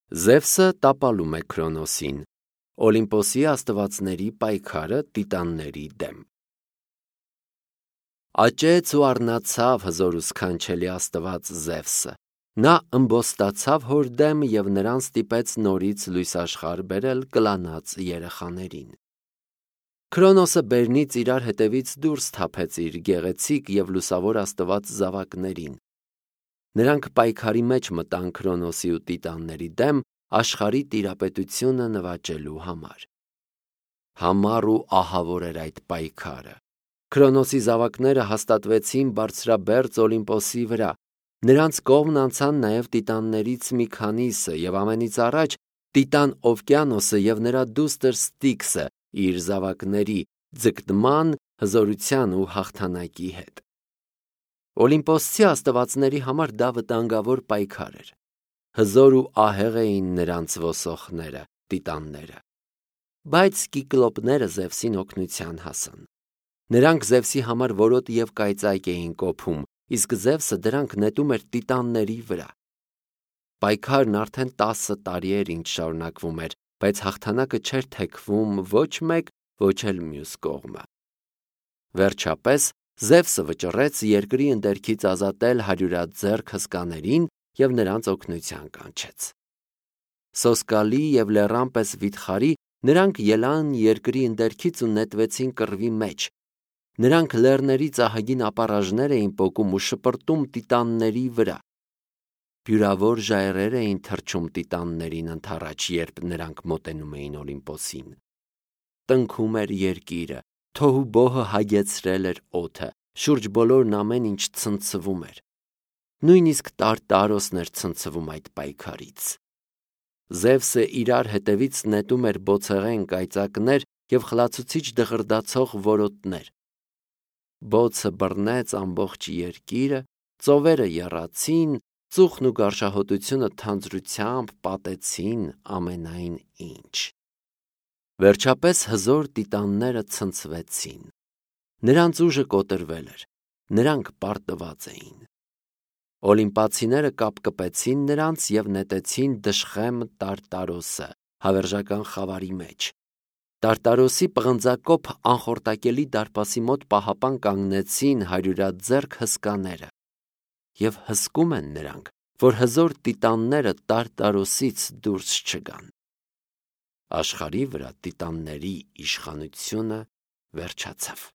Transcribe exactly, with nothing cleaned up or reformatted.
Զևսը տապալում է Քրոնոսին, Օլիմպոսի աստվածների պայքարը տիտանների դեմ։ Աճեց ու առնացավ հզոր ու սքանչելի աստված Զևսը։ Նա ըմբոստացավ հոր դեմ և նրան ստիպեց նորից լույս աշխարհ բերել կլանած երեխաներին։ Քրոնոսը բերնից իրար հետևից դուրս թափեց իր գեղեցիկ և լուսավոր աստված զավակներին։ Նրանք պայքարի մեջ մտան Քրոնոսի ու տիտանների դեմ աշխարհի տիրապետությունը նվաճելու համար։ Համառ ու ահավոր էր այդ պայքարը։ Քրոնոսի զավակները հաստատվեցին բարձրաբերձ Օլիմպոսի վրա։ Նրանց կողմն անցան նաև տիտաններից մի քանիսը և ամենից առաջ Տիտան Օվկիանոսը և նրա դուստր Ստիքսը իր զավակների ձգտման, հզորության ու հաղթանակի հետ։ Օլիմպոսցի աստվածների համար դա վտանգավոր պայքար էր։ Հզոր ու ահեղ էին նրանց ոսողները, տիտանները։ Բայց կիկլոպները Զևսին օգնության հասան։ Նրանք Զևսի համար որոտ և կայծակ էին կոփում, իսկ Զևսը դրանք նետում էր տիտանների վրա։ Պայքարն արդեն տասը տարի էր ինչ շարունակվում էր, բայց հաղթանակը չէր թեքվում ոչ մեկ, ոչ էլ մյուս կողմը։ Վերջապես Զևսը վճռեց երկրի ընդերքից ազատել հարյուրաձեռք հսկաներին և նրանց օգնության կանչեց։ Սոսկալի և լեռան պես վիթխարի նրանք ելան երկրի ընդերքից ու նետվեցին կռվի մեջ։ Նրանք լեռներից ահագին ապառաժներ էին պոկում ու շպրտում տիտանների վրա։ Բյուրավոր ժայռեր էին թռչում տիտաններին ընդառաջ, երբ նրանք մոտենում էին Օլիմպոսին։ Տնքում էր երկիրը, թոհուբոհը հագեցրել էր օդը, շուրջ բոլորն ամեն ինչ ցնցվում էր։ Նույնիսկ Տարտարոսն էր ցնցվում այդ պայքարից։ Զևսը իրար հետևից նետում էր բոցեղեն կայծակներ և խլացուցիչ դղրդացող որոտներ։ Բոցը բռնեց ամբողջ երկիրը, ծովերը եռացին, ծուխն ու գարշահոտությունը թանձրությամբ պատեցին ամենայն ինչ։ Վերջապես հզոր տիտանները ցնցվեցին։ Նրանց ուժը կոտրվել էր, նրանք պարտված էին։ Օլիմպացիները կապկպեցին նրանց և նետեցին դժխեմ Տարտարոսը հավերժական խավարի մեջ։ Տարտարոսի պղնձակոփ անխորտակելի դարպասի մոտ պահապան կանգնեցին հարյուրաձեռք հսկաները։ Եվ հսկում են նրանք, որ հզոր տիտանները Տարտարոսից դուրս չգան։ Աշխարհի վրա տիտանների իշխանությունը վերջացավ։